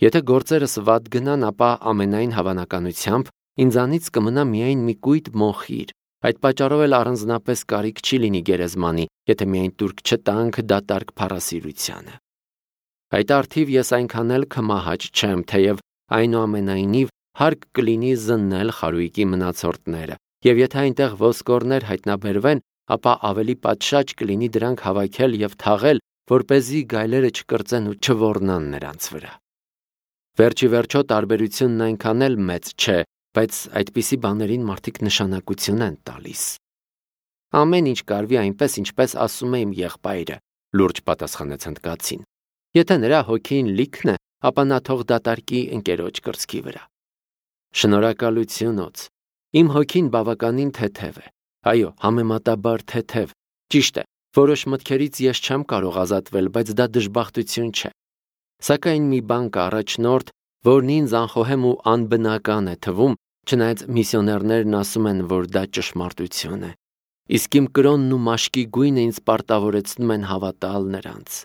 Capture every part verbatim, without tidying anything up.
Եթե գործերս վատ գնան, ապա ամենայն հավանականությամբ ինձանից կմնա միայն մի կույտ մոխիր։ Այդ պատճառով էլ առանձնապես կարիք չի լինի գերեզմանի, եթե միայն տուրք չտանք դատարկ փառասիրությանը։ Այդ առթիվ ես այնքան էլ քմահաճ չեմ, թեև այնուամենայնիվ հարկ կլինի զննել խարույկի մնացորդները, եւ եթե այնտեղ ոսկորներ հայտնաբերվեն, ապա ավելի պատշաճ կլինի դրանք հավաքել եւ թաղել, որպեսզի գայլերը չկրծեն ու չոռնան նրանց վրա։ Վերջի վերջո տարբերությունն այնքան էլ մեծ չէ, բայց այդպիսի բաներին մարդիկ նշանակություն են տալիս։ Ամեն ինչ կարվի այնպես, ինչպես ասում է իմ եղբայրը, լուրջ պատասխանեց հնդկացին։ Եթե նրա հոգին լիքն է, ապա նա թող դատարկի ընկերոջ կրծքի վրա։ Շնորհակալություն օձ։ Իմ հոգին բավականին թեթև է։ Այո, համեմատաբար թեթև։ Ճիշտ է, որոշ մտքերից ես չեմ կարող ազատվել, բայց դա դժբախտություն չէ։ Սակայն մի բան կա առաջնորդ, որն ինձ անխոհեմ ու անբնական է թվում, չնայած միսիոներներն ասում են, որ դա ճշմարտություն է։ Իսկ իմ կրոնն ու մաշկի գույնը ինձ պարտավորեցնում են հավատալ նրանց։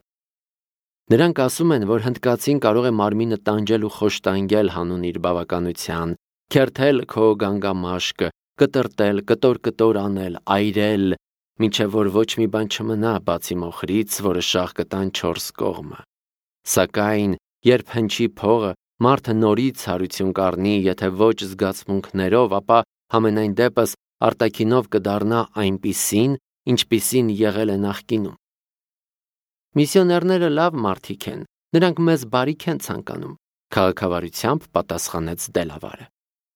Նրանք ասում են, որ հնդկացին կարող է մարմինը տանջել ու խոշտանգել հանուն իր բավականության, քերթել քո գանգամաշկը, կտրտել, կտոր-կտոր անել, այրել, մինչև որ ոչ մի բան չմնա բացի մոխրից, որը շաղ կտան չորս կողմը։ Սակայն, երբ հնչի փողը, մարդը նորից հարություն կառնի, եթե ոչ զգացմունքներով, ապա համենայն դեպս արտաքինով կդառնա այնպիսին, ինչպիսին եղել է նախկինում։ Միսիոներները լավ մարդիկ են, նրանք մեզ բարիք են ցանկանում, քաղաքավարությամբ պատասխանեց Դելավարը։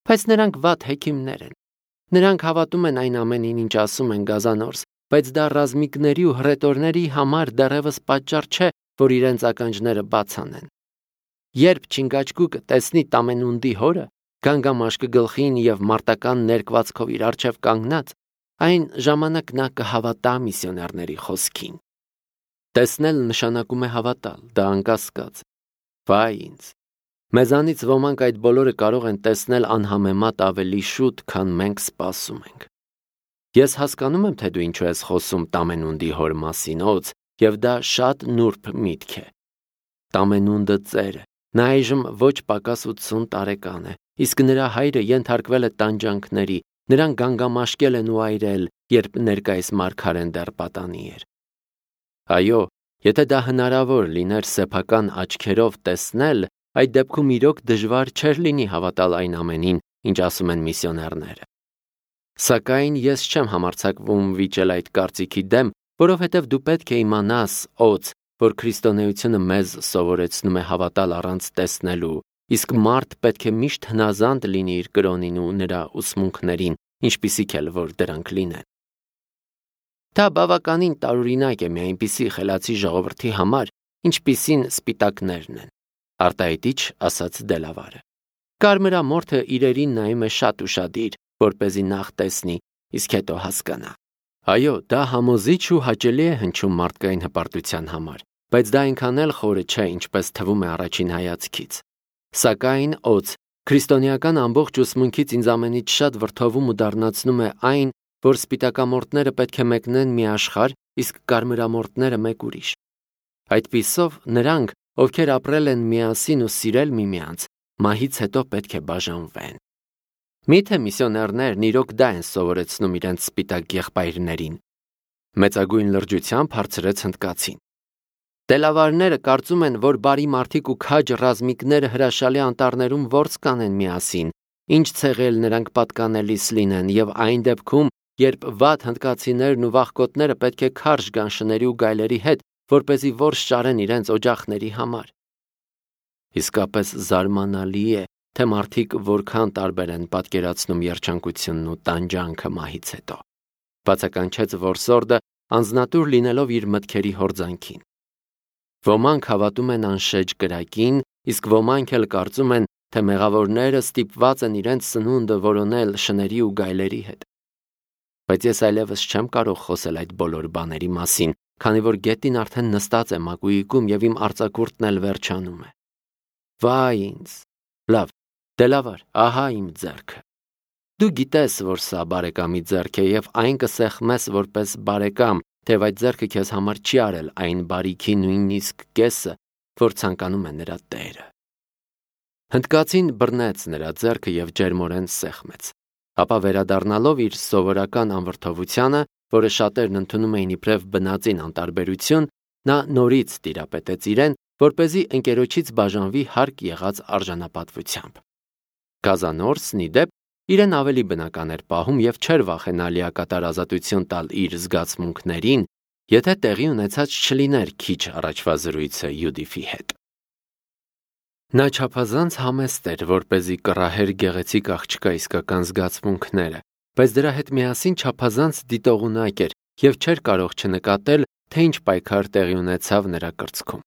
Բայց նրանք վատ հեքիմներ են։ Նրանք հավատում են այն ամենին, ինչ ասում են գազանորս, բայց դա ռազմիկների ու հռետորների համար դեռևս պատճառ չէ, որ իրենց ականջները բաց անեն։ Երբ Չինգաչգուկը տեսնի Տամենունդի հորը, գանգամաշկը գլխին եւ մարտական ներկվածքով իր առջև կանգնած, այն ժամանակ նա կհավատա միսիոներների խոսքին։ Տեսնել նշանակում է հավատալ, դա անկասկած։ Վայ ինձ։ Մեզանից ոմանք այդ բոլորը կարող են տեսնել անհամեմատ ավելի շուտ, քան մենք սպասում ենք։ Ես հասկանում եմ, թե դու ինչու ես խոսում Տամենունդի հոր մասին, օձ, եւ դա շատ նուրբ միտք է։ Տամենունդը ծեր է, նա այժմ ոչ պակաս ութսուն տարեկան է, իսկ նրա հայրը ենթարկվել է տանջանքների, նրան գանգամաշկել են ու այրել, երբ ներկայիս մարգարեն դեռ պատանի էր։ Այո, եթե դա հնարավոր լիներ սեփական աչքերով տեսնել, այդ դեպքում իրոք դժվար չէր լինի հավատալ այն ամենին, ինչ ասում են միսիոներները։ Սակայն ես չեմ համարձակվում վիճել այդ կարծիքի դեմ, որովհետև դու պետք է իմանաս, օձ, որ քրիստոնեությունը մեզ սովորեցնում է հավատալ առանց տեսնելու, իսկ մարդ պետք է միշտ հնազանդ լինի իր կրոնին ու նրա ուսմունքներին, ինչպիսիք էլ որ դրանք լինեն։ Դա բավականին տարօրինակ է մի այնպիսի խելացի ժողովրդի համար, ինչպիսին սպիտակներն են, արտահայտիչ ասաց Դելավարը։ Կարմրամորթը իրերին նայում է շատ ուշադիր, որպեսզի նախ տեսնի, իսկ հետո հասկանա։ Այո, դա համոզիչ ու հաճելի է հնչում մարդկային հպարտության համար, բայց դա այնքան էլ խորը չէ, ինչպես թվում է առաջին հայացքից։ Սակայն օձ, քրիստոնեական ամբողջ ուսմունքից ինձ ամենից շատ վրդովում ու դառնացնում է այն, որ սպիտակամորթները պետք է մեկնեն մի աշխարհ, իսկ կարմրամորթները մեկ ուրիշ։ Այդպիսով նրանք, ովքեր ապրել են միասին ու սիրել միմյանց, մահից հետո պետք է բաժանվեն։ Միթե միսիոներներն իրոք դա են սովորեցնում իրենց սպիտակ եղբայրներին։ Մեծագույն լրջությամբ հարցրեց հնդկացին։ Դելավարները կարծում են, որ բարի մարդիկ ու քաջ ռազմիկները հրաշալի անտառներում որս կանեն միասին, ինչ ցեղել նրանք պատկանելիս լինեն, եւ այն դեպքում, երբ վատ հնդկացիներն ու վախկոտները պետք է քարշ գան շների ու գայլերի հետ, որպեսզի որս շարեն իրենց օջախների համար։ Իսկապես զարմանալի է, թե մարդիկ որքան տարբեր են պատկերացնում երջանկությունն ու տանջանքը մահից հետո։ Բացականչեց որսորդը, անձնատուր լինելով իր մտքերի հորձանքին։ Ոմանք հավատում են անշեջ կրակին, իսկ ոմանք էլ կարծում են, թե մեղավորները ստիպված են իրենց սնունդը որոնել շների ու գայլերի հետ։ Բայց ես այլևս չեմ կարող խոսել այդ բոլոր բաների մասին, քանի որ գետին արդեն նստած է մակույիկում եւ իմ արձակուրդն էլ վերջանում է։ Վայ ինձ։ Լավ, Դելավար, ահա իմ ձեռքը։ Դու գիտես, որ սա բարեկամի ձեռք է եւ այն կսեղմես որպես բարեկամ, թեև այդ ձեռքը քեզ համար չի արել այն բարիքի նույնիսկ կեսը, որ ցանկանում է նրա տերը։ Հնդկացին բռնեց նրա ձեռքը և ջերմորեն սեղմեց, ապա վերադառնալով իր սովորական անվրդովությանը, որը շատերն ընդունում էին իբրև բնածին անտարբերություն, նա նորից տիրապետեց իրեն, որպեսզի ընկերոջից բաժանվի հարկ եղած արժանապատվությամբ։ Գազանորսն ի դեպ իրեն ավելի բնական էր պահում և չէր վախենա լիակատար ազատություն տալ իր զգացմունքներին, եթե տեղի ունեցած չլիներ քիչ առաջվա զրույցը Յուդիֆի հետ։ Նա չափազանց համեստ էր, որպեսզի կռահեր գեղեցիկ աղջկա իսկական զգացմունքները, բայց դրա հետ միասին չափազանց դիտողունակ էր և չէր կարող չնկատել, թե ինչ պայքար տեղի ունեցավ նրա կրծքում։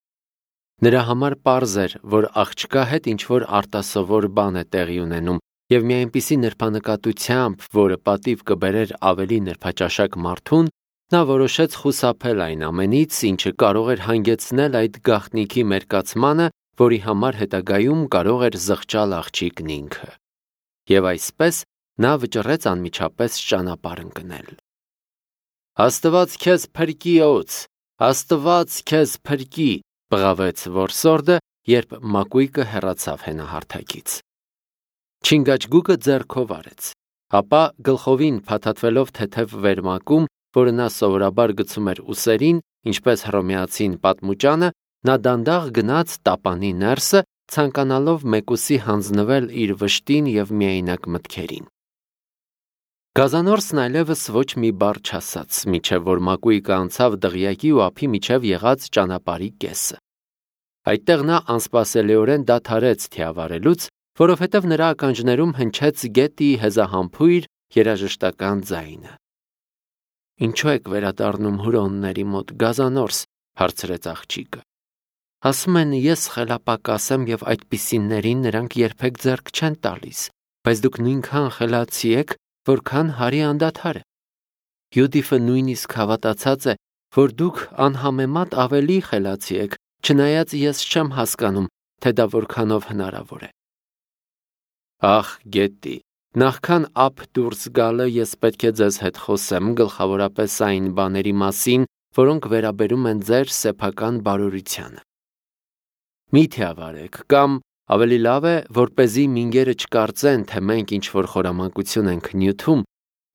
Նրա համար պարզ էր, որ աղջկա հետ ինչ-որ արտասովոր բան է տեղի ունենում, և մի այնպիսի նրբանկատությամբ, որը պատիվ կբերեր ավելի նրբաճաշակ մարդուն, նա որոշեց խուսափել այն ամենից, ինչը կարող էր հանգեցնել այդ գաղտնիքի մերկացմանը, որի համար հետագայում կարող էր զղջալ աղջիկն ինքը։ Եվ այսպես նա վճռեց անմիջապես ճանապարհ ընկնել։ «Աստված քեզ փրկի, օձ, Աստված քեզ փրկի», բղավեց որսորդը, երբ մակույկը հեռացավ հենահարթակից։ Չինգաչգուկը ձեռքով արեց, ապա գլխովին փաթաթվելով թեթև վերմակում, որը նա սովորաբար գցում էր ուսերին, ինչպես հռոմեացին պատմուճանը, նա դանդաղ գնաց տապանի ներսը, ցանկանալով մեկուսի հանձնվել իր վշտին և միայնակ մտքերին։ Գազանորսն այլևս ոչ մի բառ չասաց, մինչև որ մակույկը անցավ դղյակի ու ափի միջև եղած ճանապարհի կեսը։ Այդտեղ նա անսպասելիորեն դադարեց թիավարելուց, որովհետև նրա ականջներում հնչեց գետի հեզահամբույր երաժշտական ձայնը։ «Ինչո՞ւ եք վերադառնում հուրոնների մոտ, Գազանորս», հարցրեց աղջիկը։ «Ասում են, ես խելապակաս եմ և այդպիսիներին նրանք երբեք ձեռք չեն տալիս, բայց դուք նույնքան խելացի եք, որքան հարի անդադար է։ Յուդիֆը նույնիսկ հավատացած է, որ դուք անհամեմատ ավելի խելացի եք, չնայած ես չեմ հասկանում, թե դա որքանով հնարավոր է»։ «Ախ, Գետտի, նախքան ափ դուրս գալը ես պետք է ձեզ հետ խոսեմ գլխավորապես այն բաների մասին, որոնք վերաբերում են ձեր սեփական բարօրությանը։ Մի թիավարեք, կամ ավելի լավ է, որպեսզի մինգերը չկարծեն, թե մենք ինչ-որ խորամանկություն ենք նյութում,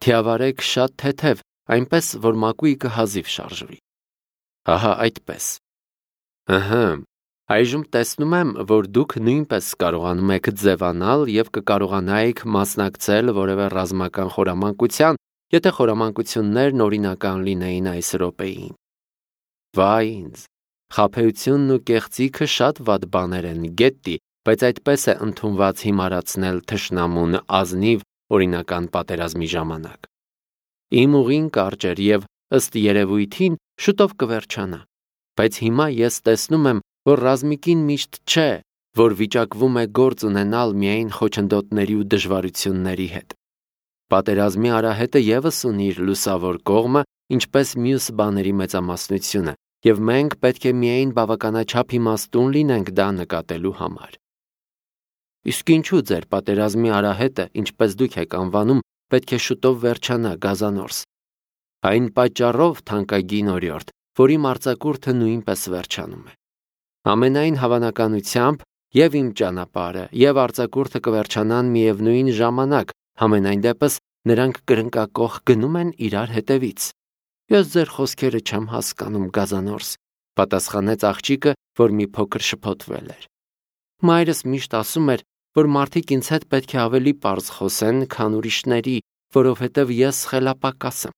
թիավարեք շատ թեթև, այնպես, որ մակույկը հազիվ շարժվի։ Ահա այդպես։ Ըհը, այժմ տեսնում եմ, որ դուք նույնպես կարողանում եք ձևանալ և կկարողանայիք մասնակցել որևէ ռազմական խորամանկության, եթե խորամանկություններն օրինական լինեին այս րոպեին։ Վայ ինձ, խաբեությունն ու կեղծիքը շատ վատ բաներ են, Գետտի, բայց այդպես է ընդունված հիմարացնել թշնամուն ազնիվ օրինական պատերազմի ժամանակ։ Իմ ուղին կարճ էր և, ըստ երևույթին, շուտով կվերջանա, բայց հիմա ես տեսնում եմ, որ ռազմիկին միշտ չէ, որ վիճակվում է գործ ունենալ միայն խոչընդոտների ու դժվարությունների հետ։ Պատերազմի արահետը ևս ունի իր լուսավոր կողմը, ինչպես մյուս բաների մեծամասնությունը, և մենք պետք է միայն բավականաչափ իմաստուն լինենք դա նկատելու համար։ Իսկ ինչու ձեր պատերազմի արահետը, ինչպես դուք եք անվանում, պետք է շուտով վերջանա, Գազանորս։ Այն պատճառով, թանկագին օրիորդ, որ իմ արձակուրդը նույնպես վերջանում է։ Ամենայն հավանականությամբ և իմ ճանապարհը, և արձակուրդը կվերջանան միևնույն ժամանակ, համենայն դեպս նրանք կրնկակոխ գնում են իրար հետևից։ Ես ձեր խոսքերը չեմ հասկանում, Գազանորս, պատասխանեց աղջիկը, որ մի փոքր շփոթվել էր։ Մայրս միշտ ասում էր, որ մարդիկ ինձ հետ պետք է ավելի պարզ խոսեն, քան ուրիշների, որովհետև ես խելապակաս եմ։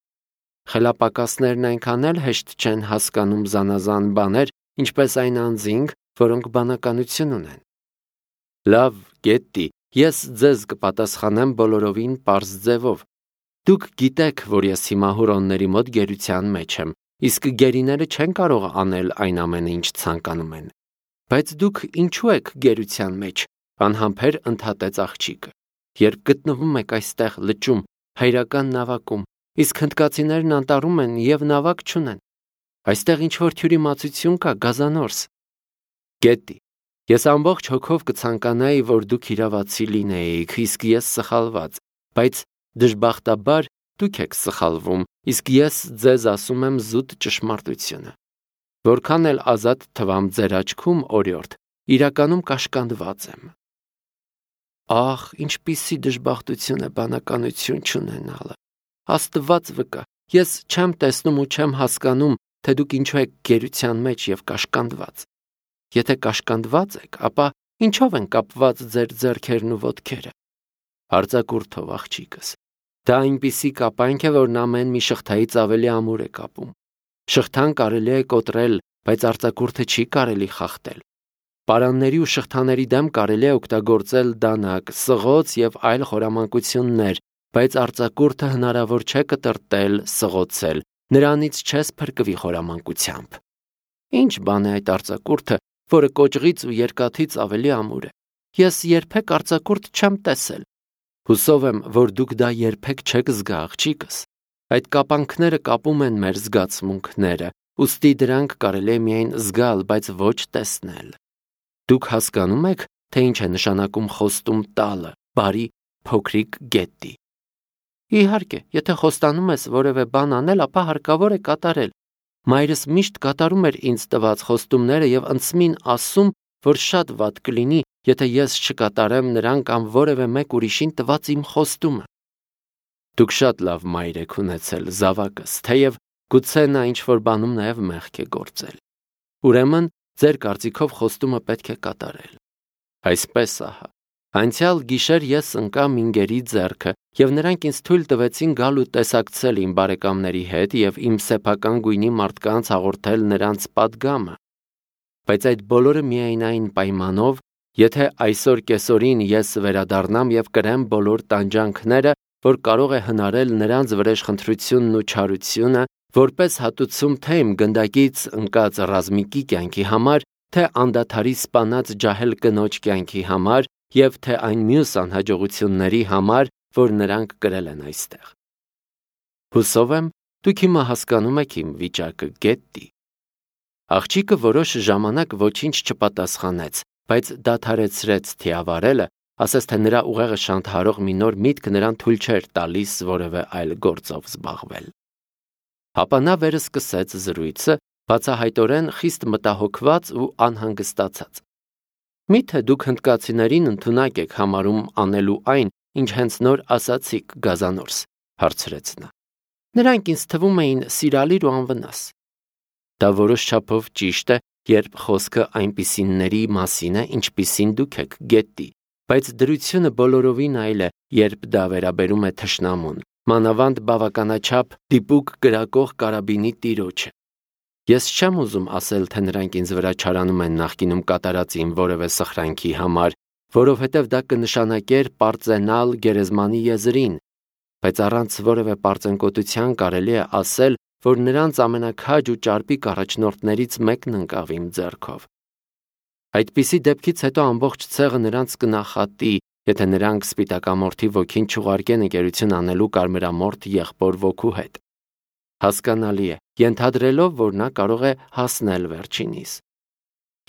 Խելապակասներն այնքան էլ հեշտ չեն հասկանում զանազան բաներ, ինչպես այն անձինք, որոնք բանականություն ունեն։ Լավ, Գետտի, ես ձեզ կպատասխանեմ բոլորովին պարզ ձևով։ Դուք գիտեք, որ ես հիմա հուրոնների մոտ գերության մեջ եմ, իսկ գերիները չեն կարող անել այն ամենը, ինչ ցանկանում են։ Բայց դուք ինչու եք գերության մեջ, անհամբեր ընդհատեց աղջիկը։ Երբ գտնվում եք այստեղ լճում, հայրական նավակում, իսկ հնդկացիներն անտառում են և նավակ չունեն։ Այստեղ ինչ-որ թյուրիմացություն կա, Գազանորս։ Գետտի, ես ամբողջ հոգով կցանկանայի, որ դուք իրավացի լինեիք, իսկ ես սխալված, բայց դժբախտաբար դուք եք սխալվում, իսկ ես ձեզ ասում եմ զուտ ճշմարտությունը։ Որքան էլ ազատ թվամ ձեր աչքում, օրիորդ, իրականում կաշկանդված եմ։ Ախ, ինչպիսի դժբախտություն է բանականություն չունենալը։ Աստված վկա, ես չեմ տեսնում ու չեմ հասկանում, թե դուք ինչու եք գերության մեջ եւ կաշկանդված։ Եթե կաշկանդված եք, ապա ինչով են կապված ձեր ձեռքերն ու ոտքերը։ Արձակուրդով աղջիկս։ Դա այնպիսի կապանք է, որն ամեն մի շղթայից ավելի ամուր է կապում։ Շղթան կարելի է կոտրել, բայց արձակուրդը չի կարելի խախտել։ Պարանների ու շղթաների դեմ կարելի է օգտագործել դանակ, սղոց եւ այլ խորամանկություններ, բայց արձակուրդը հնարավոր չէ կտրտել, սղոցել, նրանից չես փրկվի խորամանկությամբ։ Ինչ բան է այդ արձակուրդը, որը կոճղից ու երկաթից ավելի ամուր է։ Ես երբեք արձակուրդ չեմ տեսել։ Հուսով եմ, որ դուք դա երբեք չեք զգա, աղջիկս։ Այդ կապանքները կապում են մեր զգացմունքները, ուստի դրանք կարելի է միայն զգալ, բայց ոչ տեսնել։ Դուք հասկանում եք, թե ինչ է նշանակում խոստում տալը, բարի փոքրիկ գետի։ Իհարկե, եթե խոստանում ես որևէ բան անել, ապա հարկավոր է կատարել։ Մայրս միշտ կատարում էր ինձ տված խոստումները եւ ընծմին ասում, որ շատ վատ կլինի, եթե ես չկատարեմ նրան կամ որևէ մեկ ուրիշին տված իմ խոստումը։ Դուք շատ լավ մայր եք ունեցել, զավակս, թեև գուցե նա ինչ-որ բանում նաև մեղք է գործել։ Ուրեմն, ձեր կարծիքով խոստումը պետք է կատարել։ Այսպես ահա, անցյալ գիշեր ես ընկա Մինգերի ձեռքը, եւ նրանք ինձ թույլ տվեցին գալ ու տեսակցել իմ բարեկամների հետ եւ իմ սեփական գույնի մարդկանց հաղորդել նրանց պատգամը։ Բայց այդ բոլորը միայն այն պայմանով, եթե այսօր կեսօրին ես վերադառնամ եւ կրեմ բոլոր տանջանքները, որ կարող է հնարել նրանց վրեժխնդրությունն ու չարությունը, որպես հատուցում թե իմ գնդակից ընկած ռազմիկի կյանքի համար, թե անդադարի սպանած ջահել կնոջ կյանքի համար եւ թե այն մյուս անհաջողությունների համար, որ նրանք կրել են այստեղ։ Հուսով եմ, դուք հիմա հասկանում եք իմ վիճակը, Գետտի։ Աղջիկը որոշ ժամանակ ոչինչ չպատասխանեց, բայց դադարեցրեց թիավարելը, ասես թե նրա ուղեղը շանթարող մի նոր միտք նրան թույլ չէր տալիս որևէ այլ գործով զբաղվել։ Ապա նա վերսկսեց զրույցը, բացահայտորեն խիստ մտահոգված ու անհանգստացած։ Միթե դուք հնդկացիներին ընդունակ եք համարում անելու այն, ինչ հենց նոր ասացիք, Գազանորս, հարցրեց նա։ Նրանք ինձ թվում էին սիրալիր ու անվնաս։ Դա որոշ չափով ճիշտ է, երբ խոսքը այնպիսինների մասին է, ինչպիսին դուք եք, Գետտի, բայց դրությունը բոլորովին այլ է, երբ դա վերաբերում է թշնամուն, մանավանդ բավականաչափ դիպուկ կրակող կարաբինի տիրոջը։ Ես չեմ ուզում ասել, թե նրանք ինձ վրա չարանում են նախկինում կատարած իմ որևէ սխրանքի համար, որովհետև դա կնշանակեր պարծենալ գերեզմանի եզրին, բայց առանց որևէ պարծենկոտության կարելի է ասել, որ նրանց ամենաքաջ ու ճարպիկ առաջնորդներից մեկն ընկավ իմ ձեռքով։ Այդպիսի դեպքից հետո ամբողջ ցեղը նրանց կնախատի, եթե նրանք սպիտակամորթի ոգին չուղարկեն ընկերություն անելու կարմրամորթ եղբոր ոգու հետ։ Հասկանալի է, ենթադրելով, որ նա կարող է հասնել վերջինիս։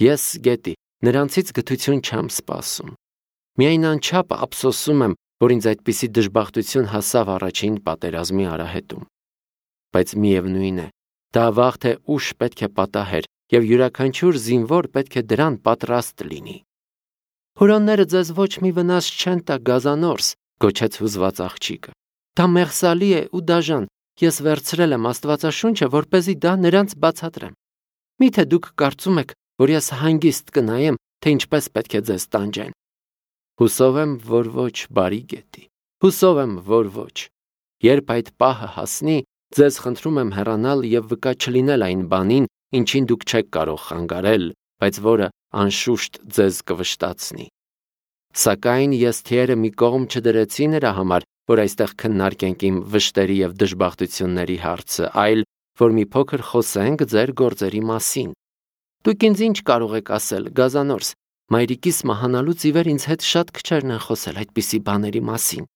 Ես, Գետի, նրանցից գթություն չեմ սպասում։ Միայն անչափ ափսոսում եմ, որ ինձ այդպիսի դժբախտություն հասավ առաջին պատերազմի արահետում։ Բայց միևնույն է, դա վաղ թե ուշ պետք է պատահեր, եւ յուրաքանչյուր զինվոր պետք է դրան պատրաստ լինի։ Հուրանները ձեզ ոչ մի վնաս չեն տա, Գազանորս, գոչեց հուզված աղջիկը։ Դա մեղսալի է ու դաժան, ես վերցրել եմ Աստվածաշունչը, որպեսզի դա նրանց բացատրեմ։ Միթե դուք կարծում եք, որ ես հանգիստ կնայեմ, թե ինչպես պետք է ձեզ տանջեն։ Հուսով եմ, որ ոչ, բարի Գետի, հուսով եմ, որ ոչ։ Երբ այդ պահը հասնի, ձեզ խնդրում եմ հեռանալ եւ վկա չլինել այն բանին, ինչին դուք չեք կարող խանգարել, բայց որը անշուշտ ձեզ կվշտացնի։ Սակայն ես թիերը մի կողմ չդրեցի նրա համար, որ այստեղ քննարկենք իմ վշտերի եւ դժբախտությունների հարցը, այլ որ մի փոքր խոսենք ձեր գործերի մասին։ Դուք ինձ ինչ կարող եք ասել, Գազանորս, մայրիկիս մահանալուց ի վեր ինձ հետ շատ քչերն են խոսել այդպիսի բաների մասին։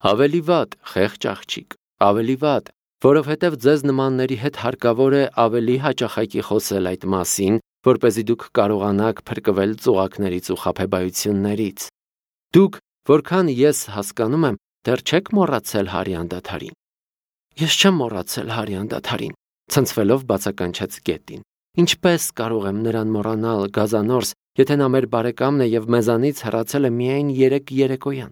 Ավելի վատ, խեղճ աղջիկ, ավելի վատ, որովհետև ձեզ նմանների հետ հարկավոր է ավելի հաճախակի խոսել այդ մասին, որպեսզի դուք կարողանաք փրկվել ծուղակներից ու խաբեբայություններից։ Դուք, որքան ես հասկանում եմ, դեռ չեք մոռացել Հարի անդադարին։ Ես չեմ մոռացել Հարի անդադարին, ցնցվելով բացականչեց Գետին։ Ինչպես կարող եմ նրան մոռանալ, Գազանորս, եթե նա մեր բարեկամն է եւ մեզանից հեռացել է միայն երեք երեկոյան։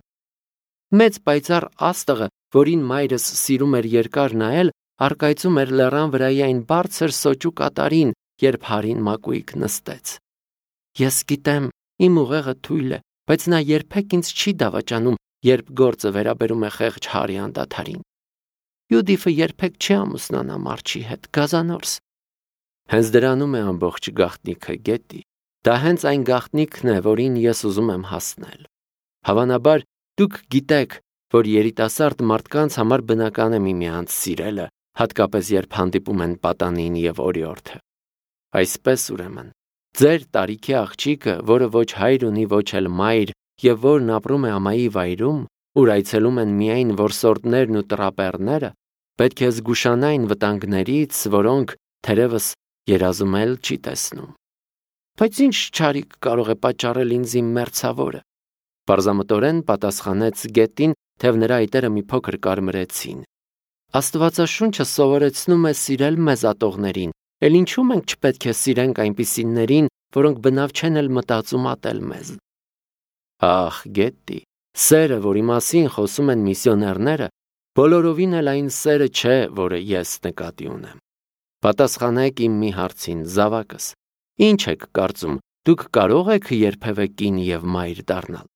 Մեծ պայծառ աստղը, որին մայրս սիրում էր երկար նայել, առկայծում էր լեռան վրայի այն բարձր սոճու կատարին, երբ հարին մակույկ նստեց։ Ես գիտեմ, իմ ուղեղը թույլ է, բայց նա երբեք ինձ չի դավաճանում, երբ գործը վերաբերում է խեղճ Հարի անդադարին։ Յուդիֆը երբեք չի ամուսնանա Մարչի հետ, գազանորս։ Հենց դրանում է ամբողջ գաղտնիքը, Գետի։ Դա հենց այն գաղտնիքն է, որին ես ուզում եմ հասնել։ Հավանաբար, դուք գիտեք, որ երիտասարդ մարդկանց համար բնական է միմյանց սիրելը, հատկապես երբ հանդիպում են պատանին եւ օրիորդը։ Այսպես ուրեմն, ձեր տարիքի աղջիկը, որը ոչ հայր ունի, ոչ էլ մայր, եւ որն ապրում է ամայի վայրում, ուր այցելում են միայն որսորդներն ու տրապեռները, պետք է զգուշանային վտանգներից, որոնք թերևս երազում էլ չի տեսնում։ Բայց ինչ չարիք կարող է պատճառել ինձ իմ մերձավորը։ Պարզամտորեն պատասխանեց Գետին, թեև նրա այտերը մի փոքր կարմրեցին։ Աստվածաշունչը սովորեցնում է սիրել մեզ ատողներին, էլ ինչու մենք չպետք է սիրենք այնպիսիներին, որոնք բնավ չեն էլ մտածում ատել մեզ։ Ախ, Գետի, սերը, որի մասին խոսում են միսիոներները, բոլորովին էլ այն սերը չէ, որը ես նկատի ունեմ։ Պատասխանեք իմ մի հարցին, զավակս։ Ինչ եք կարծում, դուք կարող եք երբևէ կին եւ մայր դառնալ։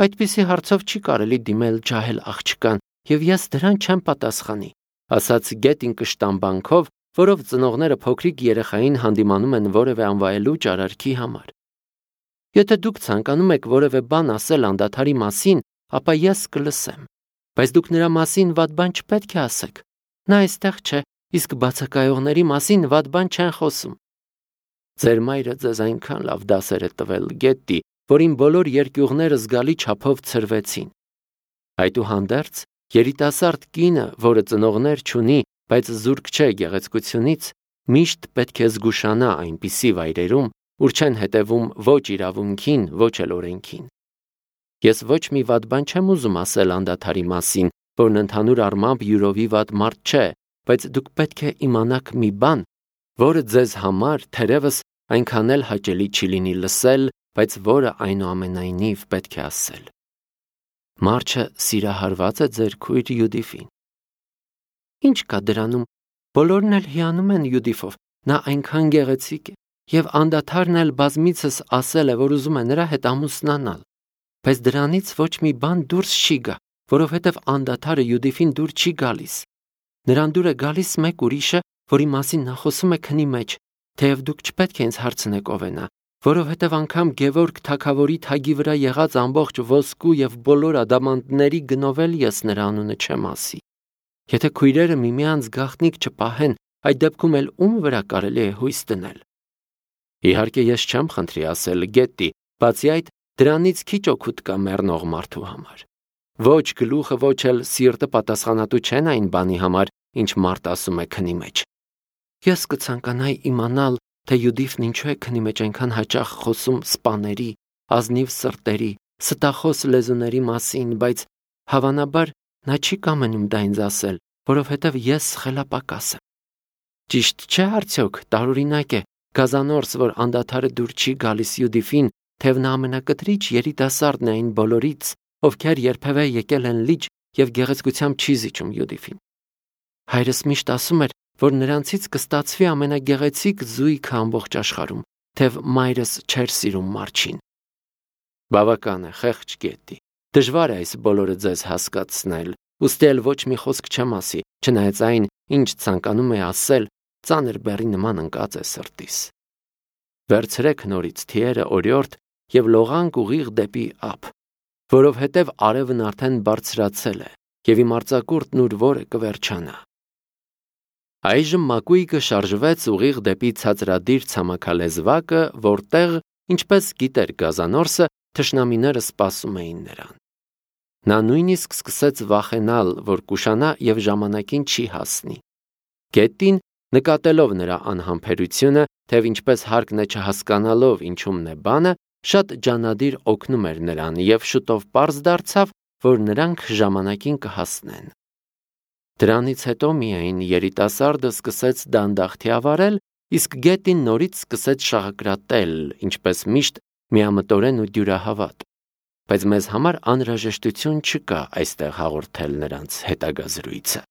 Այդպիսի հարցով չի կարելի դիմել ջահել աղջկան, եւ ես դրան չեմ պատասխանի, ասաց Գետին կշտամբանքով, որով ծնողները փոքրիկ երեխային հանդիմանում են որևէ անվայելուչ արարքի համար։ Եթե դուք ցանկանում եք որևէ բան ասել անդադարի մասին, ապա ես կլսեմ, բայց դուք նրա մասին վատ բան չպետք է ասեք։ Նա այստեղ չէ, իսկ բացակայողների մասին վատ բան չեն խոսում։ Ձեր մայրը ձեզ այնքան լավ դասեր է տվել, Գետի, որին բոլոր երկյուղները զգալի չափով ցրվեցին։ Այդուհանդերձ, երիտասարդ կինը, որը ծնողներ չունի, բայց զուրկ չէ գեղեցկությունից, միշտ պետք է զգուշանա այնպիսի վայրերում, ուր չեն հետևում ոչ իրավունքին, ոչ էլ օրենքին։ Ես ոչ մի վատ բան չեմ ուզում ասել անդադարի մասին, որն ընդհանուր առմամբ յուրովի վատ մարդ չէ, բայց դուք պետք է իմանաք մի բան, որը ձեզ համար թերևս այնքան էլ հաճելի չի լինի լսել, բայց որը այնուամենայնիվ պետք է ասել։ Մարչը սիրահարված է ձեր քույր Յուդիֆին։ Ինչ կա դրանում, բոլորն էլ հիանում են Յուդիֆով, նա այնքան գեղեցիկ է, եւ անդադարն էլ բազմիցս ասել է, որ ուզում է նրա հետ ամուսնանալ, բայց դրանից ոչ մի բան դուրս չի գա, որովհետեւ անդադարը Յուդիֆին դուր չի գալիս։ Նրան դուր է գալիս մեկ ուրիշը, որի մասին նա խոսում է քնի մեջ, թեև դուք չպետք է ինձ հարցնեք ով է նա, որովհետև անգամ Գևորգ թագավորի թագի վրա եղած ամբողջ ոսկու եւ բոլոր ադամանդների գնով էլ ես նրա անունը չեմ ասի։ Եթե քույրերը միմյանց գաղտնիք չպահեն, այդ դեպքում էլ ում վրա կարելի է հույս դնել։ Իհարկե ես չեմ խնդրի ասել Գետի, բացի այդ դրանից քիչ օգուտ կա մեռնող մարդու համար։ Ոչ գլուխը, ոչ էլ սիրտը պատասխանատու չեն այն բանի համար, ինչ մարդ ասում է քնի մեջ։ Ես կցանկանայի իմանալ, թե Յուդիֆն ինչու է քնի մեջ այնքան հաճախ խոսում սպաների, ազնիվ սրտերի, ստախոս լեզուների մասին, բայց հավանաբար նա չի կամենում դա ինձ ասել, որովհետև ես խելապակաս եմ։ Ճիշտ չէ արդյոք, տարօրինակ է, գազանորս, որ անդադարը դուր չի գալիս Յուդիֆին, թեև նա ամենակտրիչ երիտասարդն է այն բոլորից, ովքեր երբևէ եկել են լիճ եւ գեղեցկությամբ չի զիջում Յուդիֆին։ Հայրս միշտ ասում էր, որ նրանցից կստացվի ամենագեղեցիկ զույգը ամբողջ աշխարհում, թեև մայրս չէր սիրում Մարչին։ Բավական է, խեղճ Գետի։ Դժվար է այս բոլորը ձեզ հասկացնել, ուստի էլ ոչ մի խոսք չեմ ասի, չնայած այն, ինչ ցանկանում է ասել, ծանր բեռի նման ընկած է սրտիս։ Վերցրեք նորից թիերը օրիորդ եւ լողանք ուղիղ դեպի ափ, որովհետև արևն արդեն բարձրացել է եւ իմ արձակուրդն ուր որը կվերջանա։ Այժմ մակույկը շարժվեց ուղիղ դեպի ցածրադիր ցամաքալեզվակը, որտեղ, ինչպես գիտեր գազանորսը, թշնամիները սպասում էին նրան։ Նա նույնիսկ սկսեց վախենալ, որ կուշանա եւ ժամանակին չի հասնի։ Գետին, նկատելով նրա անհամբերությունը, թեև ինչպես հարկն է չհասկանալով ինչումն է բանը, շատ ջանադիր օգնում էր նրան եւ շուտով պարզ դարձավ, որ նրանք ժամանակին կհասնեն։ Դրանից հետո միայն երիտասարդը սկսեց դանդաղ թիավարել, իսկ Գետին նորից սկսեց շաղակրատել, ինչպես միշտ միամտորեն ու դյուրահավատ, բայց մեզ համար անհրաժեշտություն չկա այստեղ հաղորդել նրանց հետագա զրույցը։